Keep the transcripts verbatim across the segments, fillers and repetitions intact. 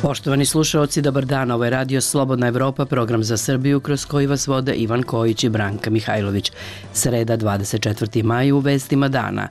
Poštovani slušaoci, dobar dan. Ovo je Radio Slobodna Evropa, program za Srbiju kroz koji vas vode Ivan Kojić i Branka Mihajlović. Sreda, dvadeset četvrti maj, u vestima dana.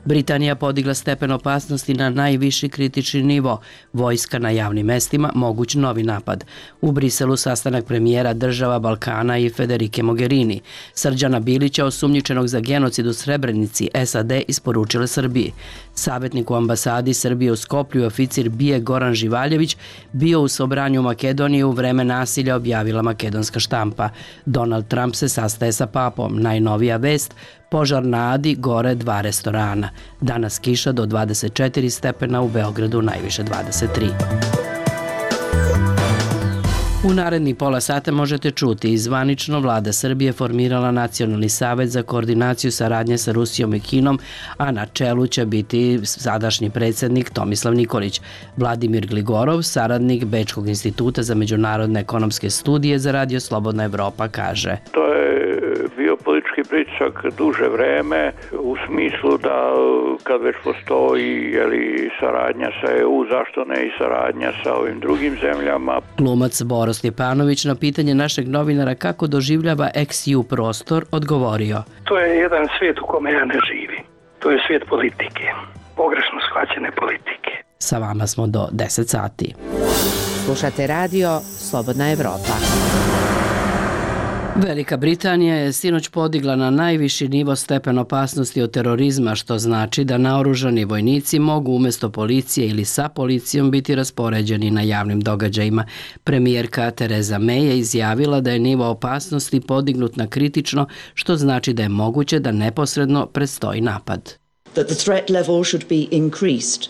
Britanija podigla stepen opasnosti na najviši kritični nivo. Vojska na javnim mestima, moguć novi napad. U Briselu sastanak premijera država Balkana i Federike Mogherini. Srđana Bilića, osumnjičenog za genocid u Srebrenici, S A D isporučile Srbiji. Savjetnik u ambasadi Srbije u Skoplju, oficir BIA Goran Živaljević, bio u Sobranju Makedonije u vreme nasilja, objavila makedonska štampa. Donald Trump se sastaje sa papom. Najnovija vest, požar na Adi, gore dva restorana. Danas kiša do dvadeset četiri stepena, u Beogradu najviše dvadeset tri. U naredni pola sata možete čuti i zvanično vlada Srbije formirala Nacionalni savet za koordinaciju saradnje sa Rusijom i Kinom, a na čelu će biti sadašnji predsjednik Tomislav Nikolić. Vladimir Gligorov, saradnik Bečkog instituta za međunarodne ekonomske studije za Radio Slobodna Evropa, kaže: To je bio politički pritisak duže vreme, u smislu da kad već postoji jeli, saradnja sa E U, zašto ne i saradnja sa ovim drugim zemljama. Glumac Boro Stjepanović na pitanje našeg novinara kako doživljava ex ju prostor odgovorio: To je jedan svijet u kome ja ne živim. To je svijet politike, pogrešno shvaćene politike. Sa vama smo do deset sati. Slušate radio Slobodna Evropa. Velika Britanija je sinoć podigla na najviši nivo stepen opasnosti od terorizma, što znači da naoružani vojnici mogu umjesto policije ili sa policijom biti raspoređeni na javnim događajima. Premijerka Tereza May je izjavila da je nivo opasnosti podignut na kritično, što znači da je moguće da neposredno predstoji napad. That the threat level should be increased.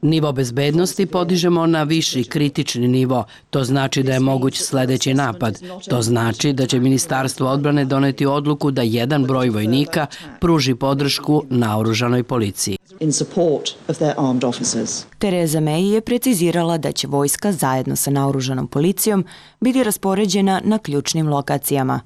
Nivo bezbednosti podižemo na viši kritični nivo. To znači da je moguć sljedeći napad. To znači da će Ministarstvo odbrane doneti odluku da jedan broj vojnika pruži podršku naoružanoj policiji. Tereza May je precizirala da će vojska zajedno sa naoružanom policijom biti raspoređena na ključnim lokacijama.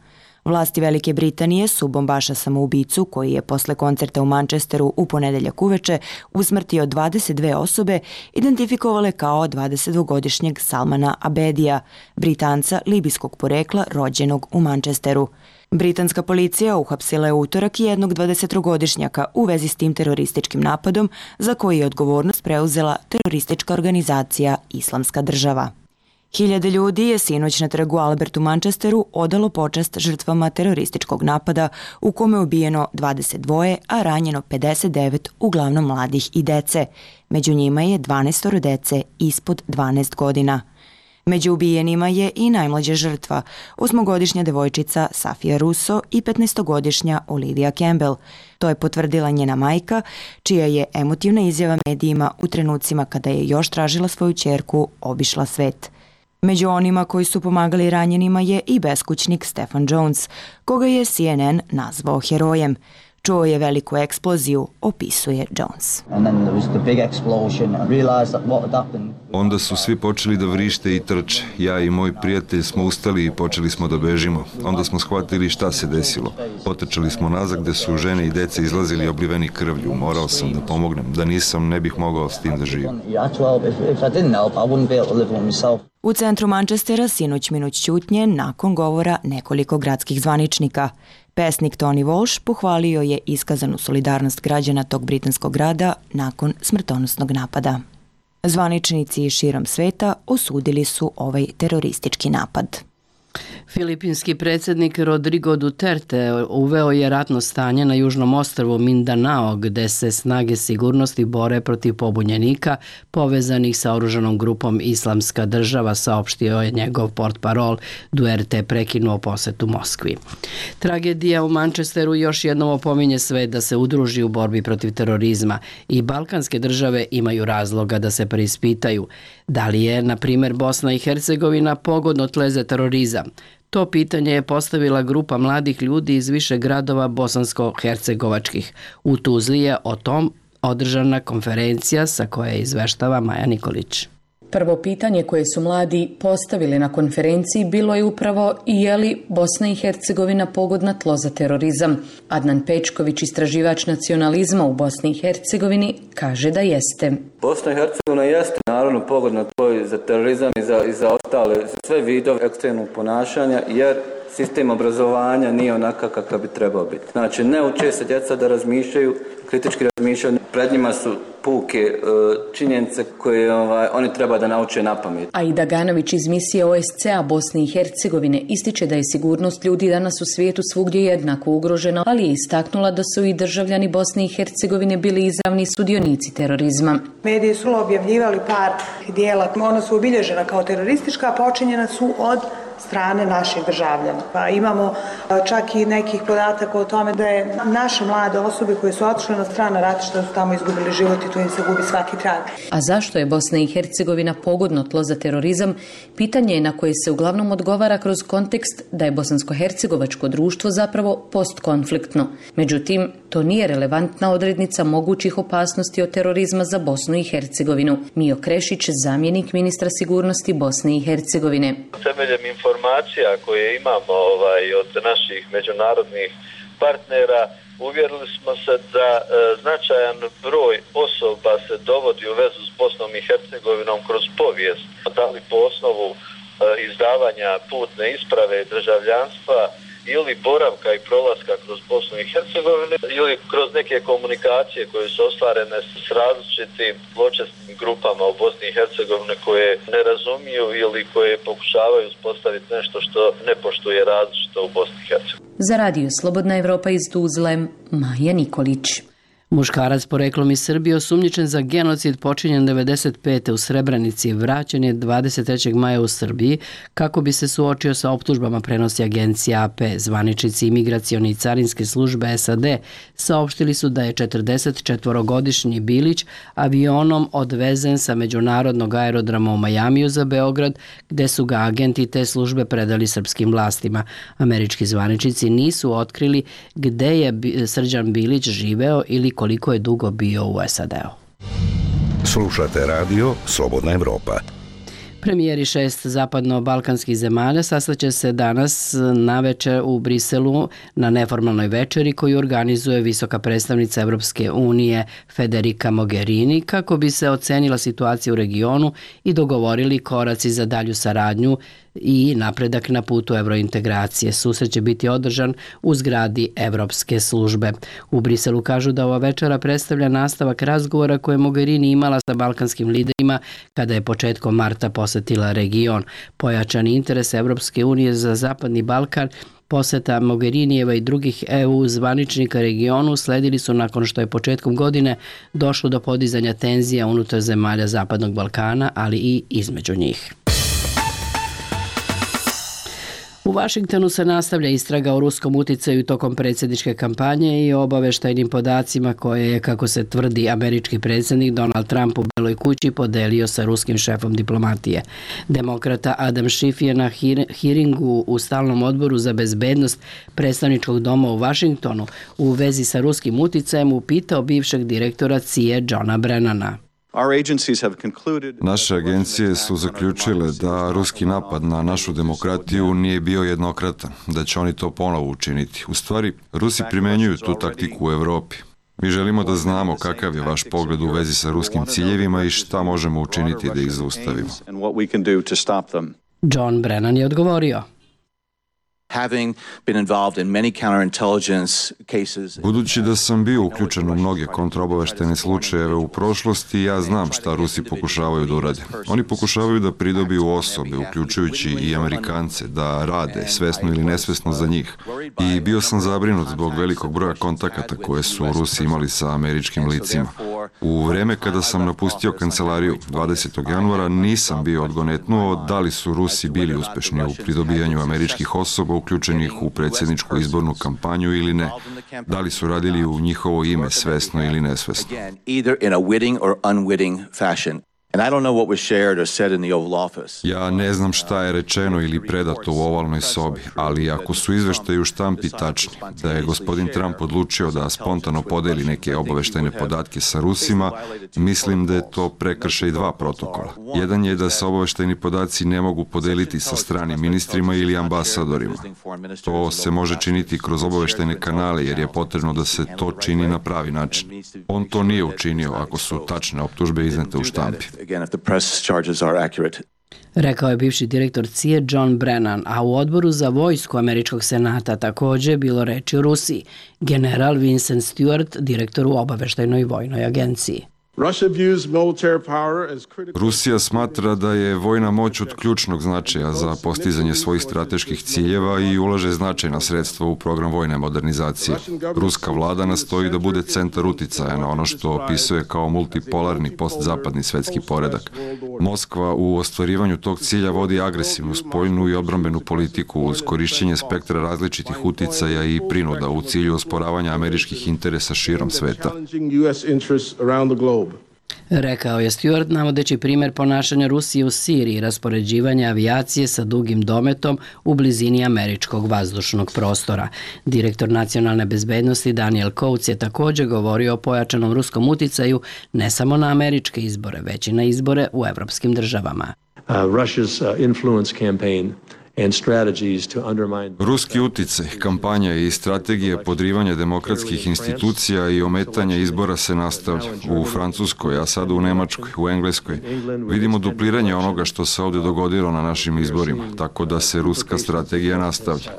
Vlasti Velike Britanije su bombaša samoubicu, koji je posle koncerta u Manchesteru u ponedeljak uveče usmrtio dvadeset dve osobe, identifikovale kao dvadesetdvogodišnjeg Salmana Abedija, Britanca libijskog porekla rođenog u Manchesteru. Britanska policija uhapsila je utorak jednog dvadesettrogodišnjaka u vezi s tim terorističkim napadom, za koji je odgovornost preuzela teroristička organizacija Islamska država. Hiljade ljudi je sinoć na trgu Albert u Manchesteru odalo počast žrtvama terorističkog napada u kome je ubijeno dvadeset dva, a ranjeno pedeset devet, uglavnom mladih i dece. Među njima je dvanaest dece ispod dvanaest godina. Među ubijenima je i najmlađa žrtva, osmogodišnja devojčica Safia Russo i petnaestogodišnja Olivia Campbell. To je potvrdila njena majka, čija je emotivna izjava medijima u trenucima kada je još tražila svoju ćerku obišla svet. Među onima koji su pomagali ranjenima je i beskućnik Stephen Jones, koga je C N N nazvao herojem. Čuo je veliku eksploziju, opisuje Jones. Onda su svi počeli da vrište i trče. Ja i moj prijatelj smo ustali i počeli smo da bežimo. Onda smo shvatili šta se desilo. Potrčali smo nazad gde su žene i deca izlazili obliveni krvlju. Morao sam da pomognem. Da nisam, ne bih mogao s tim da živim. U centru Manchestera sinoć minut ćutnje nakon govora nekoliko gradskih zvaničnika. Pesnik Tony Walsh pohvalio je iskazanu solidarnost građana tog britanskog grada nakon smrtonosnog napada. Zvaničnici širom sveta osudili su ovaj teroristički napad. Filipinski predsjednik Rodrigo Duterte uveo je ratno stanje na južnom ostrvu Mindanao, gde se snage sigurnosti bore protiv pobunjenika povezanih sa oružanom grupom Islamska država, saopštio je njegov portparol. Duterte prekinuo posetu Moskvi. Tragedija u Manchesteru još jednom opominje sve da se udruži u borbi protiv terorizma i balkanske države imaju razloga da se preispitaju. Da li je, na primjer, Bosna i Hercegovina pogodno tle za terorizam? To pitanje je postavila grupa mladih ljudi iz više gradova bosansko-hercegovačkih. U Tuzli je o tom održana konferencija sa koje izveštava Maja Nikolić. Prvo pitanje koje su mladi postavili na konferenciji bilo je upravo i je li Bosna i Hercegovina pogodna tlo za terorizam. Adnan Pečković, istraživač nacionalizma u Bosni i Hercegovini, kaže da jeste. Bosna i Hercegovina jeste naravno pogodna tlo i za terorizam i za, i za ostale, za sve vidove ekstremnog ponašanja, jer sistem obrazovanja nije onakav kakav bi trebao biti. Znači, ne uče se djeca da razmišljaju, kritički razmišljaju, pred njima su puke e, činjenice koje ovaj, oni treba da nauče na pamet. Aida Ganović iz misije O S C A Bosne i Hercegovine ističe da je sigurnost ljudi danas u svijetu svugdje jednako ugrožena, ali je istaknula da su i državljani Bosne i Hercegovine bili izravni sudionici terorizma. Mediji su objavljivali par dijela, ona su obilježena kao teroristička, počinjena su od strane naših državljana. Pa imamo čak i nekih podataka o tome da je naše mlade osobe koje su otišle na strana ratišta su tamo izgubili život i tu im se gubi svaki trag. A zašto je Bosna i Hercegovina pogodno tlo za terorizam? Pitanje je na koje se uglavnom odgovara kroz kontekst da je bosansko-hercegovačko društvo zapravo postkonfliktno. Međutim, to nije relevantna odrednica mogućih opasnosti od terorizma za Bosnu i Hercegovinu. Mio Krešić, zamjenik ministra sigurnosti Bosne i Hercegovine. Temeljem informacija koje imamo ovaj, od naših međunarodnih partnera, uvjerili smo se da e, značajan broj osoba se dovodi u vezu s Bosnom i Hercegovinom kroz povijest, da li po osnovu e, izdavanja putne isprave državljanstva ili boravka i prolaska kroz Bosnu i Hercegovinu ili kroz neke komunikacije koje su ostvarene s različitim zločesnim grupama u Bosni i Hercegovini koje ne razumiju ili koje pokušavaju uspostaviti nešto što ne poštuje različito u Bosni i Hercegovini. Za radio Slobodna Evropa iz Tuzle, Maja Nikolić. Muškarac poreklom iz Srbije osumnjičen za genocid počinjen devedeset pete u Srebrenici vraćen je dvadeset trećeg maja u Srbiji kako bi se suočio sa optužbama, prenosi agencija A P. Zvaničnici imigracione i carinske službe S A D saopštili su da je četrdesetčetvorogodišnji Bilić avionom odvezen sa međunarodnog aerodroma u Majamiju za Beograd, gde su ga agenti te službe predali srpskim vlastima. Američki zvaničnici nisu otkrili gde je Srđan Bilić živeo ili koliko je dugo bio u S A D-u. Slušate radio Slobodna Evropa. Premijeri šest zapadno-balkanskih zemalja sastaće se danas navečer u Briselu na neformalnoj večeri koju organizuje visoka predstavnica Evropske unije Federica Mogherini kako bi se ocenila situacija u regionu i dogovorili koraci za dalju saradnju i napredak na putu evrointegracije. Susret će biti održan u zgradi Evropske službe. U Briselu kažu da ova večera predstavlja nastavak razgovora koje Mogherini imala sa balkanskim liderima kada je početkom marta posetila region. Pojačani interes Evropske unije za Zapadni Balkan, poseta Mogherinijeva i drugih E U zvaničnika regionu sledili su nakon što je početkom godine došlo do podizanja tenzija unutar zemalja Zapadnog Balkana, ali i između njih. U Vašingtonu se nastavlja istraga o ruskom uticaju tokom predsjedničke kampanje i o obaveštajnim podacima koje je, kako se tvrdi, američki predsjednik Donald Trump u Beloj kući podelio sa ruskim šefom diplomatije. Demokrata Adam Schiff je na hearingu u stalnom odboru za bezbednost predstavničkog doma u Vašingtonu u vezi sa ruskim uticajem upitao bivšeg direktora C I A Johna Brennana. Naše agencije su zaključile da ruski napad na našu demokratiju nije bio jednokratan, da će oni to ponovo učiniti. U stvari, Rusi primenjuju tu taktiku u Evropi. Mi želimo da znamo kakav je vaš pogled u vezi sa ruskim ciljevima i šta možemo učiniti da ih zaustavimo. John Brennan je odgovorio. Budući da sam bio uključen u mnoge kontraobaveštajne slučajeve u prošlosti, ja znam šta Rusi pokušavaju da urade. Oni pokušavaju da pridobiju osobe, uključujući i Amerikance, da rade, svesno ili nesvesno za njih. I bio sam zabrinut zbog velikog broja kontakata koje su Rusi imali sa američkim licima. U vreme kada sam napustio kancelariju dvadesetog januara nisam bio odgonetnuo da li su Rusi bili uspešni u pridobijanju američkih osoba uključenih u predsjedničku izbornu kampanju ili ne. Da li su radili u njihovo ime svesno ili nesvesno. Ja ne znam šta je rečeno ili predato u ovalnoj sobi, ali ako su izveštaji u štampi tačni, da je gospodin Trump odlučio da spontano podeli neke obaveštajne podatke sa Rusima, mislim da je to prekršaj dva protokola. Jedan je da se obaveštajni podaci ne mogu podeliti sa stranim ministrima ili ambasadorima. To se može činiti kroz obaveštajne kanale jer je potrebno da se to čini na pravi način. On to nije učinio ako su tačne optužbe iznete u štampi. Rekao je bivši direktor C I A John Brennan, a u odboru za vojsku Američkog senata takođe je bilo reči o Rusiji. General Vincent Stewart, direktor u obaveštajnoj vojnoj agenciji. Rusija smatra da je vojna moć od ključnog značaja za postizanje svojih strateških ciljeva i ulaže značajna sredstva u program vojne modernizacije. Ruska vlada nastoji da bude centar uticaja na ono što opisuje kao multipolarni postzapadni svetski poredak. Moskva u ostvarivanju tog cilja vodi agresivnu spoljnu i odbrambenu politiku uz korišćenje spektra različitih uticaja i prinuda u cilju osporavanja američkih interesa širom sveta. Rekao je Stewart, navodeći primer ponašanja Rusije u Siriji i raspoređivanja avijacije sa dugim dometom u blizini američkog vazdušnog prostora. Direktor nacionalne bezbednosti Daniel Coats je takođe govorio o pojačanom ruskom uticaju ne samo na američke izbore, već i na izbore u evropskim državama. Uh, Russia's uh, influence campaign Ruski uticaj, kampanja i strategije podrivanja demokratskih institucija i ometanja izbora se nastavlja. U Francuskoj, a sada u Nemačkoj, u Engleskoj. Vidimo dupliranje onoga što se ovde dogodilo na našim izborima, tako da se ruska strategija nastavlja.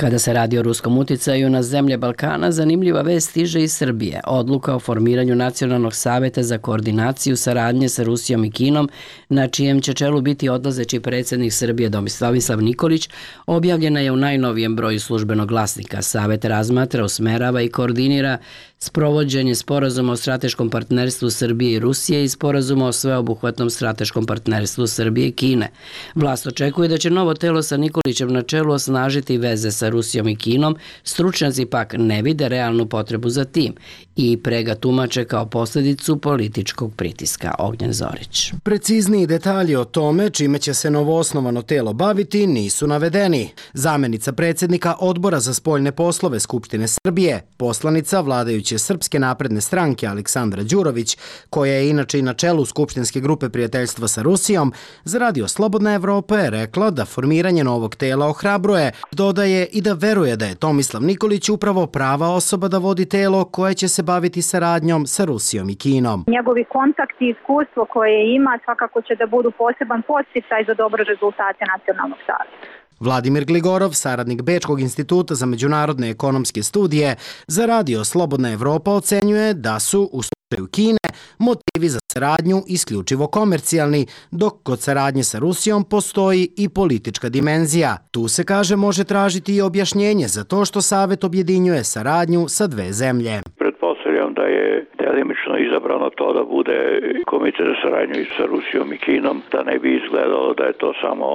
Kada se radi o ruskom uticaju na zemlje Balkana, zanimljiva vest stiže iz Srbije. Odluka o formiranju Nacionalnog saveta za koordinaciju saradnje sa Rusijom i Kinom, na čijem će čelu biti odlazeći predsjednik Srbije Tomislav Nikolić, objavljena je u najnovijem broju službenog glasnika. Savet razmatra, usmerava i koordinira sprovođenje sporazuma o strateškom partnerstvu Srbije i Rusije i sporazuma o sveobuhvatnom strateškom partnerstvu Srbije i Kine. Vlast očekuje da će novo telo sa Nikolićem na čelu osnažiti veze sa Rusijom i Kinom, stručnjaci pak ne vide realnu potrebu za tim i pre ga tumače kao posljedicu političkog pritiska. Ognjen Zorić. Precizniji detalji o tome čime će se novoosnovano telo baviti nisu navedeni. Zamenica predsjednika Odbora za spoljne poslove Skupštine Srbije, poslanica vladajuće Srpske napredne stranke Aleksandra Đurović, koja je inače i na čelu Skupštinske grupe prijateljstva sa Rusijom, za Radio Slobodna Evropa je rekla da formiranje novog tela ohrabruje, dodaje i da veruje da je Tomislav Nikolić upravo prava osoba da vodi telo koje će se baviti saradnjom sa Rusijom i Kinom. Njegovi kontakti i iskustvo koje ima svakako će da budu poseban podsticaj za dobre rezultate Nacionalnog saveta. Vladimir Gligorov, saradnik Bečkog instituta za međunarodne ekonomske studije, za Radio Slobodna Evropa ocenjuje da su u slučaju Kine motivi za saradnju isključivo komercijalni, dok kod saradnje sa Rusijom postoji i politička dimenzija. Tu se, kaže, može tražiti i objašnjenje za to što Savet objedinjuje saradnju sa dve zemlje. Pretpostavljam da je delimično izabrano to da bude komitet za saradnju sa Rusijom i Kinom, da ne bi izgledalo da je to samo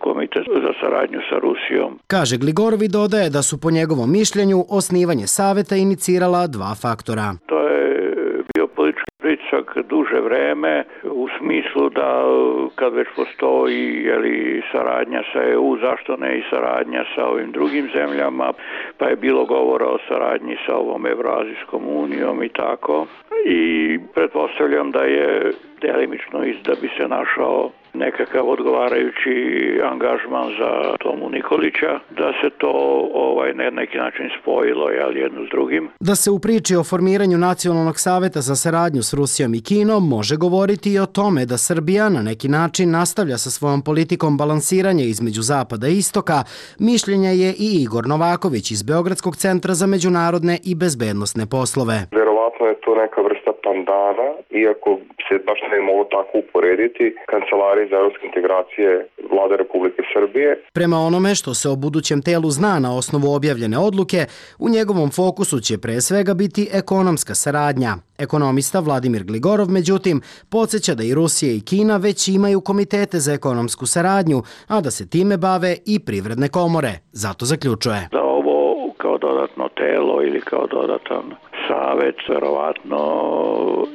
komitet za saradnju sa Rusijom. Kaže Gligorov i dodaje da su po njegovom mišljenju osnivanje saveta inicirala dva faktora. To je bio politički pritisak duže vreme u smislu da kad već postoji jeli, saradnja sa E U, zašto ne i saradnja sa ovim drugim zemljama, pa je bilo govora o saradnji sa ovom Evroazijskom unijom i tako. I pretpostavljam da je delimično da bi se našao nekakav odgovarajući angažman za Tomu Nikolića, da se to ovaj, na neki način spojilo jel, jedno s drugim. Da se u priči o formiranju Nacionalnog saveta za saradnju s Rusijom i Kinom može govoriti i o tome da Srbija na neki način nastavlja sa svojom politikom balansiranja između Zapada i Istoka, mišljenja je i Igor Novaković iz Beogradskog centra za međunarodne i bezbednosne poslove. Verovatno je to neka vrsta pandana, iako se baš ne mogu tako uporediti, kancelariji za evropske integracije Vlade Republike Srbije. Prema onome što se o budućem telu zna na osnovu objavljene odluke, u njegovom fokusu će pre svega biti ekonomska saradnja. Ekonomista Vladimir Gligorov, međutim, podsjeća da i Rusija i Kina već imaju komitete za ekonomsku saradnju, a da se time bave i privredne komore. Zato zaključuje. Da ovo kao dodatno telo ili kao dodatan savet verovatno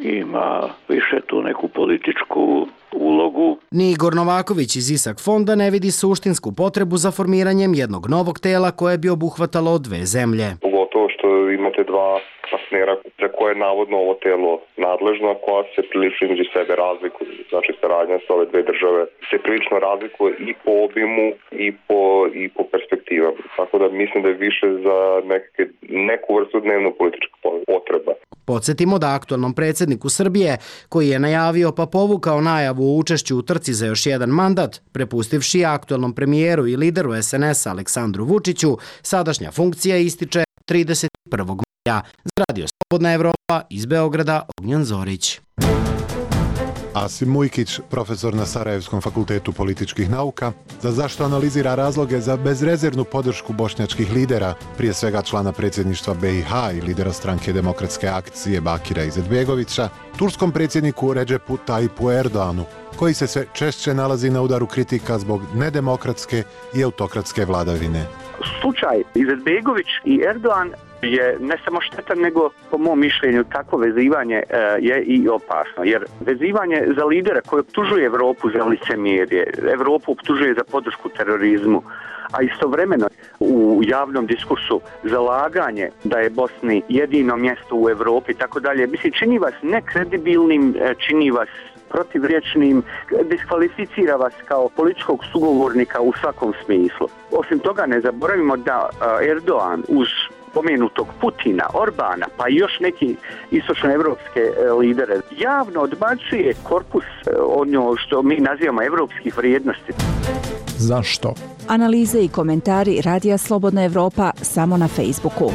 ima više tu neku političku ulogu. Ni Igor Novaković iz Isak fonda ne vidi suštinsku potrebu za formiranjem jednog novog tela koje bi obuhvatalo dve zemlje. Pogotovo što imate dva partnera za koje je navodno ovo telo nadležno, a koja se prilično između sebe razlikuje. Znači saradnja sa ove dve države se prilično razlikuje i po obimu i po, i po perspektivama. Tako da mislim da je više za neke, neku vrstu dnevno politička potreba. Podsjetimo da aktualnom predsjedniku Srbije, koji je najavio pa povukao najavu o učešću u trci za još jedan mandat, prepustivši aktualnom premijeru i lideru es en es Aleksandru Vučiću, sadašnja funkcija ističe trideset prvog maja. Za Radio Slobodna Evropa iz Beograda, Ognjan Zorić. Asim Mujkić, profesor na Sarajevskom fakultetu političkih nauka, za zašto analizira razloge za bezrezervnu podršku bošnjačkih lidera, prije svega člana predsjedništva be i ha i lidera stranke demokratske akcije Bakira Izetbegovića, turskom predsjedniku Redžepu Tayyipu Erdoğanu, koji se sve češće nalazi na udaru kritika zbog nedemokratske i autokratske vladavine. Slučaj Izetbegović i Erdoğan je ne samo štetan, nego po mom mišljenju takvo vezivanje e, je i opasno. Jer vezivanje za lidera koji optužuje Evropu za licemjerje, Evropu optužuje za podršku terorizmu, a istovremeno u javnom diskursu zalaganje da je Bosni jedino mjesto u Evropi i tako dalje, mislim, čini vas nekredibilnim, čini vas protivriječnim, diskvalificira vas kao političkog sugovornika u svakom smislu. Osim toga, ne zaboravimo da Erdoğan uz pomenutog Putina, Orbana, pa i još neki istočnoevropske lidere javno odbacuje korpus ono što mi nazivamo evropskih vrijednosti. Zašto? Analize i komentari Radija Slobodna Evropa samo na Facebooku.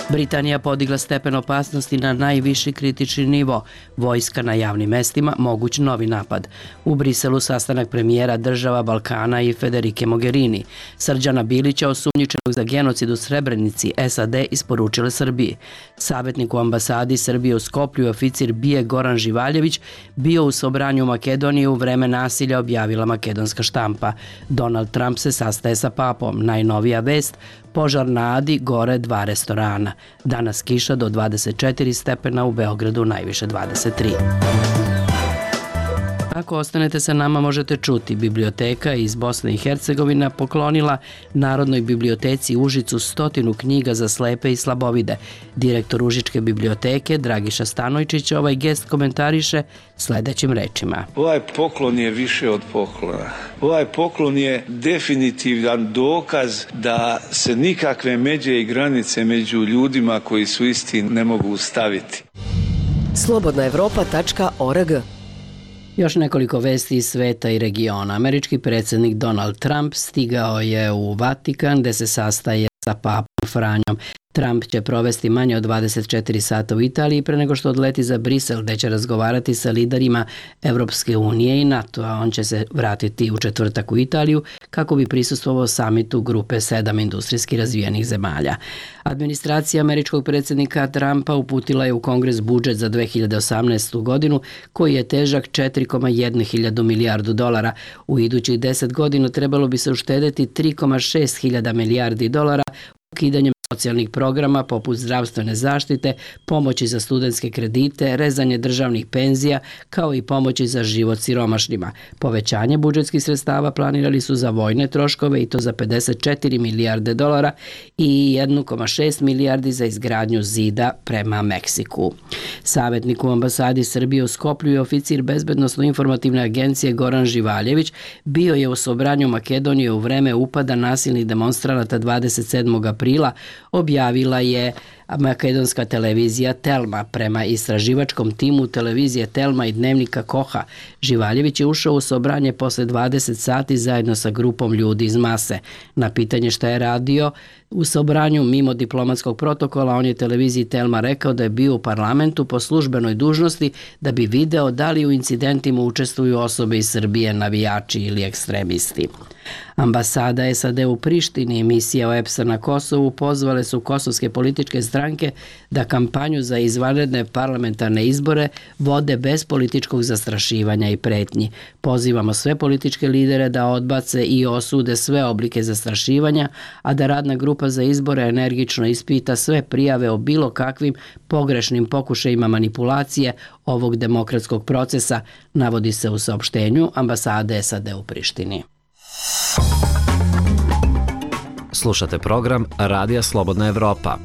Britanija podigla stepen opasnosti na najviši kritični nivo. Vojska na javnim mestima, moguć novi napad. U Briselu sastanak premijera država Balkana i Federike Mogherini. Srđana Bilića, osumnjičenog za genocid u Srebrenici, es a de isporučile Srbiji. Savjetnik u ambasadi Srbije u Skoplju, oficir BIA Goran Živaljević, bio u Sobranju Makedonije u vreme nasilja, objavila makedonska štampa. Donald Trump se sastaje sa papom. Najnovija vest, požar na Adi, gore dva restorana. Danas kiša do dvadeset četiri stepena, u Beogradu najviše dvadeset tri. Ako ostanete sa nama, možete čuti. Biblioteka iz Bosne i Hercegovine poklonila Narodnoj biblioteci Užicu stotinu knjiga za slepe i slabovide. Direktor Užičke biblioteke Dragiša Stanojčić ovaj gest komentariše sledećim rečima. Ovaj poklon je više od poklona. Ovaj poklon je definitivan dokaz da se nikakve međe i granice među ljudima koji su isti ne mogu staviti. slobodna evropa tačka org. Još nekoliko vesti iz sveta i regiona. Američki predsjednik Donald Trump stigao je u Vatikan gde se sastaje sa papom Franjom. Trump će provesti manje od dvadeset četiri sata u Italiji pre nego što odleti za Brisel, gde će razgovarati sa liderima Evropske unije i NATO, a on će se vratiti u četvrtak u Italiju kako bi prisustvovao samitu grupe sedam industrijski razvijenih zemalja. Administracija američkog predsjednika Trumpa uputila je u Kongres budžet za dve hiljade osamnaestu godinu koji je težak četiri zarez jedna hiljadu milijardu dolara. U idućih deset godina trebalo bi se uštedeti tri zarez šest hiljada milijardi dolara ukidanjem socijalnih programa poput zdravstvene zaštite, pomoći za studentske kredite, rezanje državnih penzija, kao i pomoći za život siromašnima. Povećanje budžetskih sredstava planirali su za vojne troškove i to za pedeset četiri milijarde dolara i jedan zarez šest milijardi za izgradnju zida prema Meksiku. Savjetnik u ambasadi Srbije u Skoplju i oficir bezbednosno-informativne agencije Goran Živaljević bio je u Sobranju Makedonije u vreme upada nasilnih demonstranata dvadeset sedmog aprila, objavila je makedonska televizija Telma. Prema istraživačkom timu televizije Telma i dnevnika Koha, Živaljević je ušao u Sobranje posle dvadeset sati zajedno sa grupom ljudi iz mase. Na pitanje šta je radio u Sobranju mimo diplomatskog protokola, on je televiziji Telma rekao da je bio u parlamentu po službenoj dužnosti da bi video da li u incidentima učestvuju osobe iz Srbije, navijači ili ekstremisti. Ambasada S A D u Prištini i misija O E P S-a na Kosovu pozvale su kosovske političke stranke da kampanju za izvanredne parlamentarne izbore vode bez političkog zastrašivanja i pretnji. Pozivamo sve političke lidere da odbace i osude sve oblike zastrašivanja, a da radna grupa za izbore energično ispita sve prijave o bilo kakvim pogrešnim pokušajima manipulacije ovog demokratskog procesa, navodi se u saopštenju ambasade S A D u Prištini. Slušate program Radija Slobodna Evropa.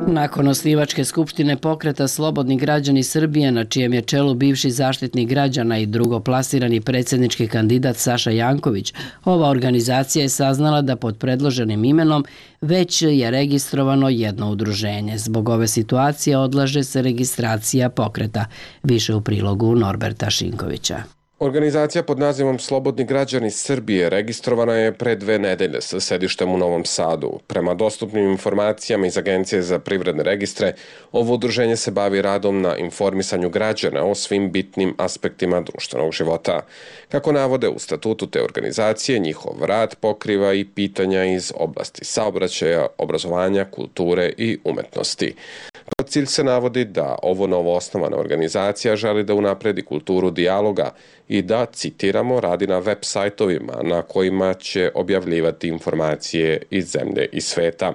Nakon osnivačke skupštine pokreta Slobodni građani Srbije, na čijem je čelu bivši zaštitnik građana i drugoplasirani predsjednički kandidat Saša Janković, ova organizacija je saznala da pod predloženim imenom već je registrovano jedno udruženje. Zbog ove situacije odlaže se registracija pokreta. Više u prilogu Norberta Šinkovića. Organizacija pod nazivom Slobodni građani Srbije registrovana je pre dve nedelje sa sedištem u Novom Sadu. Prema dostupnim informacijama iz Agencije za privredne registre, ovo udruženje se bavi radom na informisanju građana o svim bitnim aspektima društvenog života. Kako navode u statutu te organizacije, njihov rad pokriva i pitanja iz oblasti saobraćaja, obrazovanja, kulture i umetnosti. Kao cilj se navodi da ovo novoosnovana organizacija želi da unapredi kulturu dijaloga i da, citiramo, radi na web sajtovima na kojima će objavljivati informacije iz zemlje i sveta.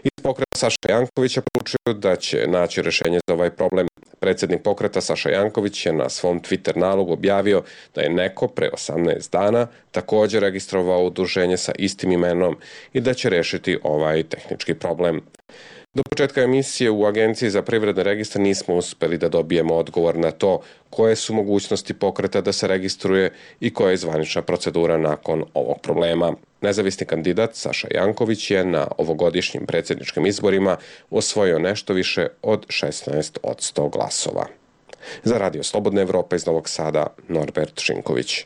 Iz pokreta Saša Jankovića poručuju da će naći rešenje za ovaj problem. Predsjednik pokreta Saša Janković je na svom Twitter nalogu objavio da je neko pre osamnaest dana također registrovao udruženje sa istim imenom i da će rešiti ovaj tehnički problem. Do početka emisije u Agenciji za privredne registre nismo uspeli da dobijemo odgovor na to koje su mogućnosti pokreta da se registruje i koja je zvanična procedura nakon ovog problema. Nezavisni kandidat Saša Janković je na ovogodišnjim predsjedničkim izborima osvojio nešto više od šesnaest posto glasova. Za Radio Slobodna Evropa iz Novog Sada, Norbert Šinković.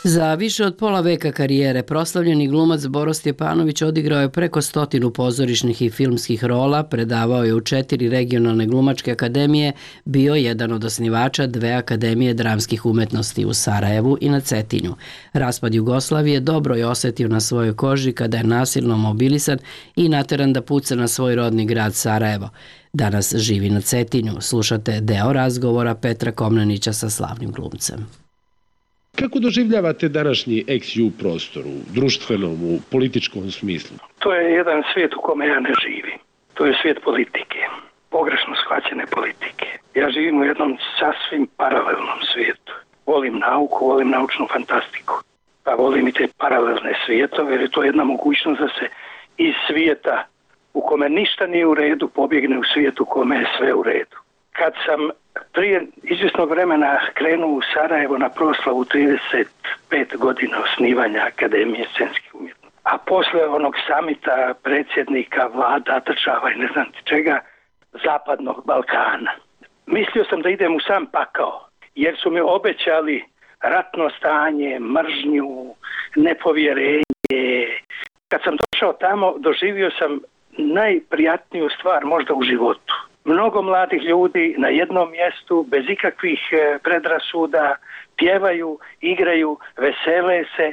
Za više od pola veka karijere proslavljeni glumac Boro Stjepanović odigrao je preko stotinu pozorišnih i filmskih rola, predavao je u četiri regionalne glumačke akademije, bio jedan od osnivača dve akademije dramskih umetnosti u Sarajevu i na Cetinju. Raspad Jugoslavije dobro je osetio na svojoj koži kada je nasilno mobilisan i nateran da puca na svoj rodni grad Sarajevo. Danas živi na Cetinju. Slušate deo razgovora Petra Komnenića sa slavnim glumcem. Kako doživljavate današnji ex-ju prostor u društvenom, u političkom smislu? To je jedan svijet u kome ja ne živim. To je svijet politike, pogrešno shvaćene politike. Ja živim u jednom sasvim paralelnom svijetu. Volim nauku, volim naučnu fantastiku. Pa volim i te paralelne svijetove, jer je to jedna mogućnost da se iz svijeta u kome ništa nije u redu pobjegne u svijetu u kome je sve u redu. Kad sam prije izvjesnog vremena krenuo u Sarajevo na proslavu trideset pet godina osnivanja Akademije scenskih umjetnosti, a posle onog samita predsjednika, vlada, država i ne znam čega, Zapadnog Balkana, mislio sam da idem u sam pakao, jer su mi obećali ratno stanje, mržnju, nepovjerenje. Kad sam došao tamo, doživio sam najprijatniju stvar možda u životu. Mnogo mladih ljudi na jednom mjestu, bez ikakvih predrasuda, pjevaju, igraju, vesele se,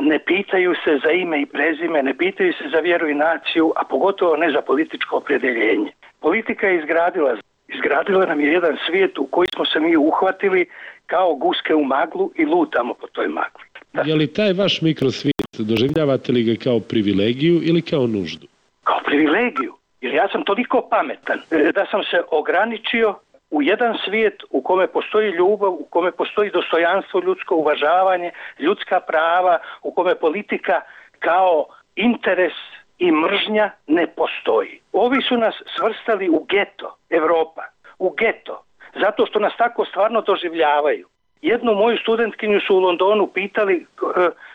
ne pitaju se za ime i prezime, ne pitaju se za vjeru i naciju, a pogotovo ne za političko opredjeljenje. Politika je izgradila, izgradila nam je jedan svijet u koji smo se mi uhvatili kao guske u maglu i lutamo po toj magli. Da. Je li taj vaš mikrosvijet, doživljavate li ga kao privilegiju ili kao nuždu? Kao privilegiju. Jer ja sam toliko pametan da sam se ograničio u jedan svijet u kome postoji ljubav, u kome postoji dostojanstvo, ljudsko uvažavanje, ljudska prava, u kome politika kao interes i mržnja ne postoji. Ovi su nas svrstali u geto, Evropa, u geto, zato što nas tako stvarno doživljavaju. Jednu moju studentkinju su u Londonu pitali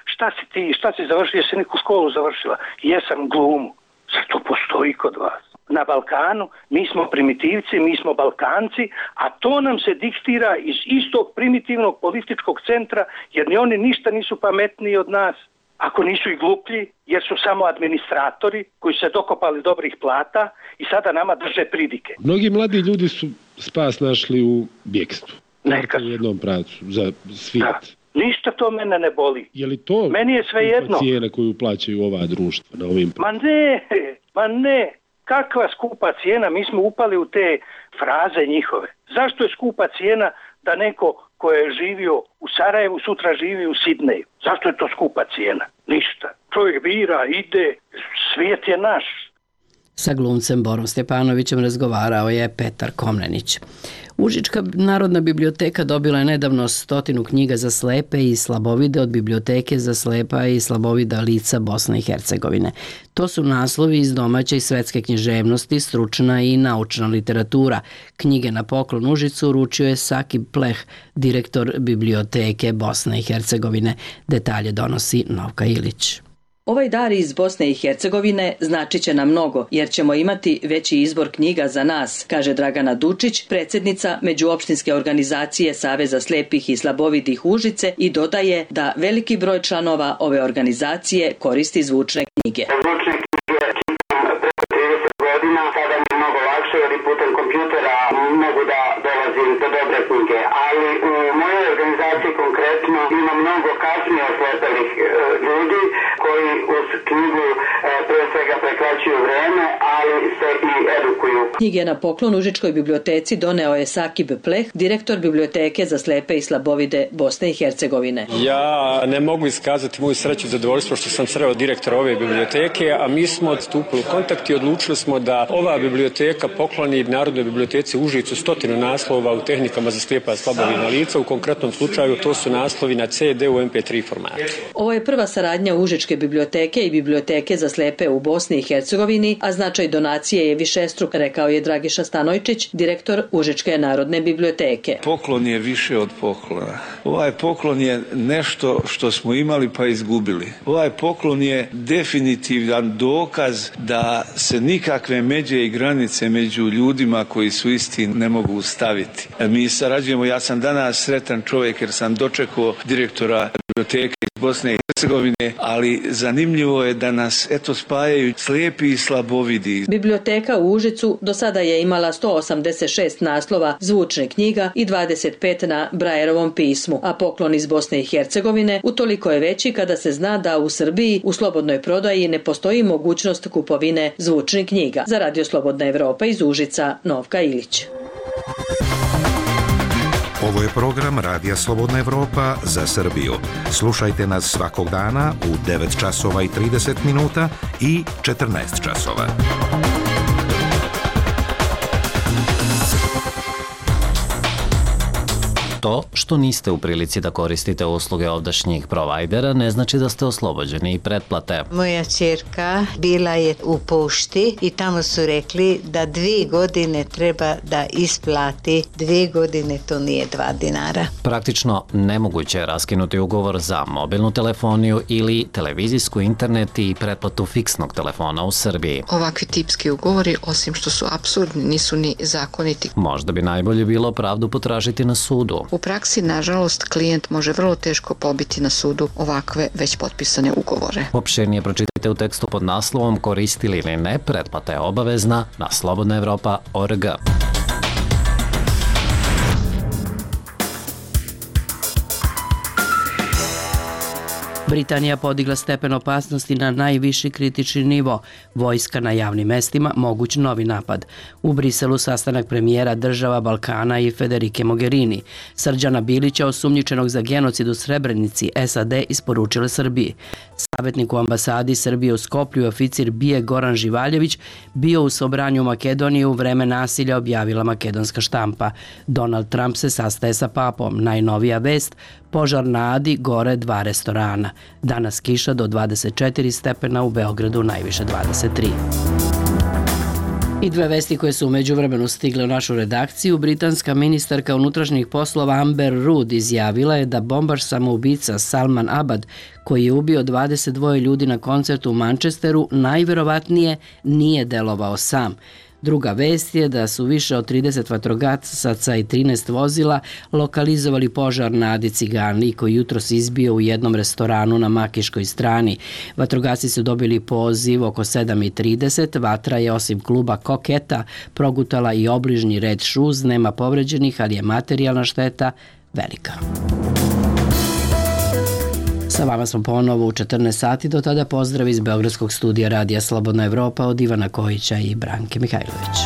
šta si ti, šta si završila, jesi neku školu završila? Jesam, glumu. Zar to postoji kod vas? Na Balkanu mi smo primitivci, mi smo Balkanci, a to nam se diktira iz istog primitivnog političkog centra, jer ni oni ništa nisu pametniji od nas, ako nisu i gluplji, jer su samo administratori koji se dokopali dobrih plata i sada nama drže pridike. Mnogi mladi ljudi su spas našli u bjekstvu. Neka u jednom pravcu za svijet. Da. Ništa to mene ne boli. Je li to meni je sve jedno cijena koju plaćaju ova društva na ovim... Ma ne, ma ne. Kakva skupa cijena? Mi smo upali u te fraze njihove. Zašto je skupa cijena da neko ko je živio u Sarajevu sutra živi u Sidneju? Zašto je to skupa cijena? Ništa. Čovjek bira, ide, svijet je naš. Sa glumcem Borom Stjepanovićem razgovarao je Petar Komnenić. Užička Narodna biblioteka dobila je nedavno stotinu knjiga za slepe i slabovide od Biblioteke za slepa i slabovida lica Bosne i Hercegovine. To su naslovi iz domaće i svetske književnosti, stručna i naučna literatura. Knjige na poklon Užicu uručio je Sakib Pleh, direktor Biblioteke Bosne i Hercegovine. Detalje donosi Novka Ilić. Ovaj dar iz Bosne i Hercegovine značit će nam mnogo, jer ćemo imati veći izbor knjiga za nas, kaže Dragana Dučić, predsjednica Međuopštinske organizacije Saveza slepih i slabovidih Užice, i dodaje da veliki broj članova ove organizacije koristi zvučne knjige. Zvučne knjige čitam preko trideset godina, sada mi je mnogo lakše jer i putem kompjutera mogu da dolazim do dobre knjige, ali u mojoj organizaciji konkretno ima mnogo kasnije oslepelih e, ljudi koji uz knjigu e, pre svega prekraćuju vreme, ali se i edukuju. Knjige na poklon Užičkoj biblioteci doneo je Sakib Pleh, direktor Biblioteke za slepe i slabovide Bosne i Hercegovine. Ja ne mogu iskazati moju sreću i zadovoljstvo što sam sreo direktora ove biblioteke, a mi smo odstupili u kontakt i odlučili smo da ova biblioteka pokloni Narodnoj biblioteci Užicu stotinu naslova u tehnikama za slijepa i slabovidna lica. U konkretnom slučaju to su naslovi na ce de u em pe tri formatu. Ovo je prva saradnja Užičke biblioteke i Biblioteke za slepe u Bosni i Hercegovini, a značaj donacije je višestruk, rekao je Dragiša Stanojčić, direktor Užičke Narodne biblioteke. Poklon je više od poklona. Ovaj poklon je nešto što smo imali pa izgubili. Ovaj poklon je definitivan dokaz da se nikakve međe i granice među ljudima koji su isti ne mogu staviti. Mi sarađujemo, ja sam danas sretan čovjek jer sam dočekao direktora biblioteke iz Bosne i Hercegovine, ali zanimljivo je da nas eto spajaju slijepi i slabovidi. Biblioteka u Užicu do sada je imala sto osamdeset šest naslova zvučne knjiga i dvadeset pet na Brajerovom pismu, a poklon iz Bosne i Hercegovine utoliko je veći kada se zna da u Srbiji u slobodnoj prodaji ne postoji mogućnost kupovine zvučnih knjiga. Za Radio Slobodna Evropa iz Užica, Novka Ilić. Ovo je program Radija Slobodna Evropa za Srbiju. Slušajte nas svakog dana u devet časova i trideset minuta i četrnaest časova. To što niste u prilici da koristite usluge ovdašnjih provajdera ne znači da ste oslobođeni i pretplate. Moja ćerka bila je u pošti i tamo su rekli da dvije godine treba da isplati. Dvije godine to nije dva dinara. Praktično nemoguće je raskinuti ugovor za mobilnu telefoniju ili televizijsku, internet i pretplatu fiksnog telefona u Srbiji. Ovakvi tipski ugovori, osim što su apsurdni, nisu ni zakoniti. Možda bi najbolje bilo pravdu potražiti na sudu. U praksi, nažalost, klijent može vrlo teško pobiti na sudu ovakve već potpisane ugovore. Opširnije pročitajte u tekstu pod naslovom Koristili ili ne, pretplata je obavezna na slobodna evropa tačka org. Britanija podigla stepen opasnosti na najviši kritični nivo. Vojska na javnim mestima, moguć novi napad. U Briselu sastanak premijera država Balkana i Federike Mogherini. Srđana Bilića, osumnjičenog za genocid u Srebrenici, es a de isporučile Srbiji. Savjetnik u ambasadi Srbije u Skoplju, oficir BIA Goran Živaljević, bio u Sobranju u Makedoniji u vreme nasilja, objavila makedonska štampa. Donald Trump se sastaje sa papom. Najnovija vest, požar na Adi, gore dva restorana. Danas kiša do dvadeset četiri stepena, u Beogradu najviše dvadeset tri. I dve vesti koje su umeđu vremenu stigle u našu redakciju. Britanska ministarka unutrašnjih poslova Amber Rudd izjavila je da bombaš samoubica Salman Abad, koji je ubio dvadeset dva ljudi na koncertu u Manchesteru, najverovatnije nije delovao sam. Druga vest je da su više od trideset vatrogasaca i trinaest vozila lokalizovali požar na Adi Cigani koji jutros izbio u jednom restoranu na Makiškoj strani. Vatrogasci su dobili poziv oko sedam i trideset. Vatra je osim kluba Koketa progutala i obližnji red Šuz. Nema povređenih, ali je materijalna šteta velika. Sa vama smo ponovo u četrnaest sati, do tada pozdrav iz Beogradskog studija Radija Slobodna Evropa od Ivana Kojića i Branke Mihajlović.